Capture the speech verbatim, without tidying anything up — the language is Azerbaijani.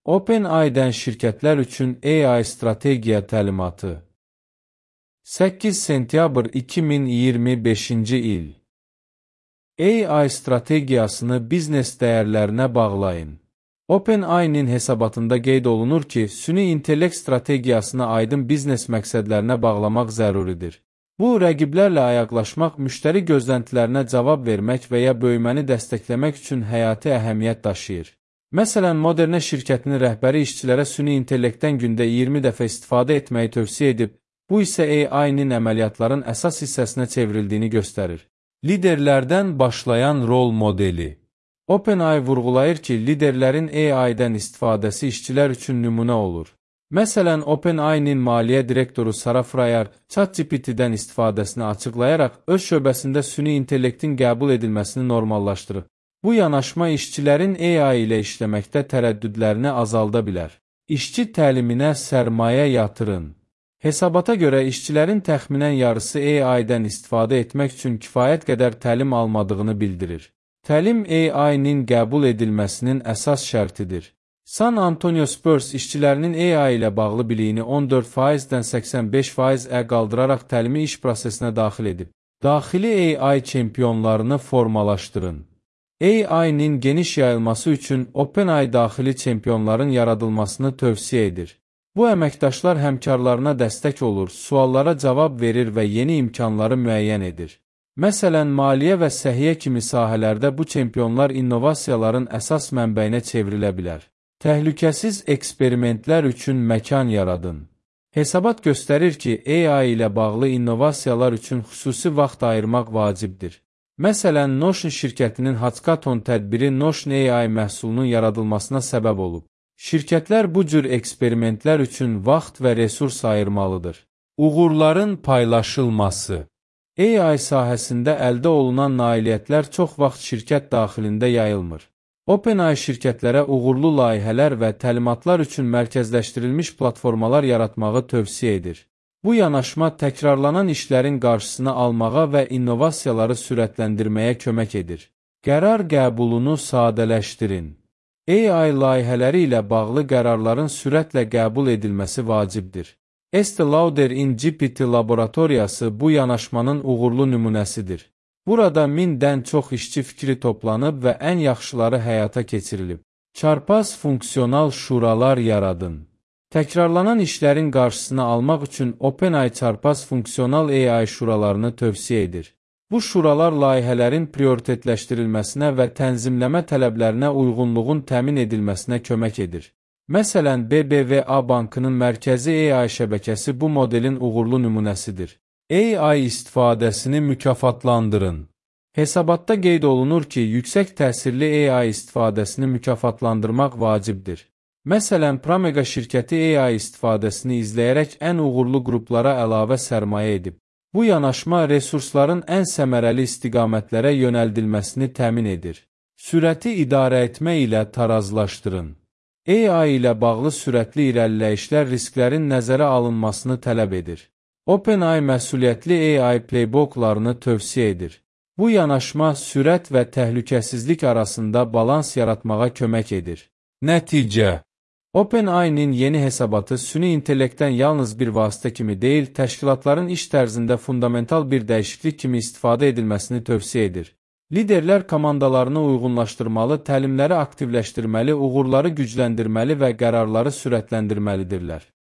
OpenAI-dən şirkətlər üçün A I strategiya təlimatı. səkkiz sentyabr iki min iyirmi beşinci il. A I strategiyasını biznes dəyərlərinə bağlayın. OpenAI-nin hesabatında qeyd olunur ki, süni intellekt strategiyasını aydın biznes məqsədlərinə bağlamaq zəruridir. Bu, rəqiblərlə ayaqlaşmaq, müştəri gözləntilərinə cavab vermək və ya böyüməni dəstəkləmək üçün həyati əhəmiyyət daşıyır. Məsələn, Moderne şirkətinin rəhbəri işçilərə süni intellektdən gündə iyirmi dəfə istifadə etməyi tövsiyə edib, bu isə A I-nin əməliyyatların əsas hissəsinə çevrildiyini göstərir. Liderlərdən başlayan rol modeli. OpenAI vurğulayır ki, liderlərin A I-dən istifadəsi işçilər üçün nümunə olur. Məsələn, OpenAI-nin maliyyə direktoru Sarah Frayer ChatGPT-dən istifadəsini açıqlayaraq öz şöbəsində süni intellektin qəbul edilməsini normallaşdırıb. Bu yanaşma işçilərin A I ilə işləməkdə tərəddüdlərini azalda bilər. İşçi təliminə sərmayə yatırın. Hesabata görə işçilərin təxminən yarısı A I-dən istifadə etmək üçün kifayət qədər təlim almadığını bildirir. Təlim A I-nin qəbul edilməsinin əsas şərtidir. San Antonio Spurs işçilərinin A I ilə bağlı biliyini on dörd faizdən səksən beş faizə qaldıraraq təlimi iş prosesinə daxil edib. Daxili A I çempionlarını formalaşdırın. A I-nin geniş yayılması üçün OpenAI daxili çempionların yaradılmasını tövsiyə edir. Bu əməkdaşlar həmkarlarına dəstək olur, suallara cavab verir və yeni imkanları müəyyən edir. Məsələn, maliyyə və səhiyyə kimi sahələrdə bu çempionlar innovasiyaların əsas mənbəyinə çevrilə bilər. Təhlükəsiz eksperimentlər üçün məkan yaradın. Hesabat göstərir ki, A I ilə bağlı innovasiyalar üçün xüsusi vaxt ayırmaq vacibdir. Məsələn, Notion şirkətinin Hackathon tədbiri Notion A I məhsulunun yaradılmasına səbəb olub. Şirkətlər bu cür eksperimentlər üçün vaxt və resurs ayırmalıdır. Uğurların paylaşılması. A I sahəsində əldə olunan nailiyyətlər çox vaxt şirkət daxilində yayılmır. OpenAI şirkətlərə uğurlu layihələr və təlimatlar üçün mərkəzləşdirilmiş platformalar yaratmağı tövsiyə edir. Bu yanaşma təkrarlanan işlərin qarşısını almağa və innovasiyaları sürətləndirməyə kömək edir. Qərar qəbulunu sadələşdirin. A I layihələri ilə bağlı qərarların sürətlə qəbul edilməsi vacibdir. Estee Lauder in G P T laboratoriyası bu yanaşmanın uğurlu nümunəsidir. Burada mindən çox işçi fikri toplanıb və ən yaxşıları həyata keçirilib. Çarpaz funksional şuralar yaradın. Təkrarlanan işlərin qarşısını almaq üçün OpenAI çarpaz funksional A I şuralarını tövsiyə edir. Bu şuralar layihələrin prioritetləşdirilməsinə və tənzimləmə tələblərinə uyğunluğun təmin edilməsinə kömək edir. Məsələn, B B V A Bankının mərkəzi A I şəbəkəsi bu modelin uğurlu nümunəsidir. A I istifadəsini mükafatlandırın. Hesabatda qeyd olunur ki, yüksək təsirli A I istifadəsini mükafatlandırmaq vacibdir. Məsələn, Promega şirkəti A I istifadəsini izləyərək ən uğurlu qruplara əlavə sərmayə edib. Bu yanaşma resursların ən səmərəli istiqamətlərə yönəldilməsini təmin edir. Sürəti idarə etmə ilə tarazlaşdırın. A I ilə bağlı sürətli irəliləyişlər risklərin nəzərə alınmasını tələb edir. OpenAI məsuliyyətli A I playbooklarını tövsiyə edir. Bu yanaşma sürət və təhlükəsizlik arasında balans yaratmağa kömək edir. Nəticə. OpenAI-nin yeni hesabatı süni intellektdən yalnız bir vasitə kimi deyil, təşkilatların iş tərzində fundamental bir dəyişiklik kimi istifadə edilməsini tövsiyə edir. Liderlər komandalarını uyğunlaşdırmalı, təlimləri aktivləşdirməli, uğurları gücləndirməli və qərarları sürətləndirməlidirlər.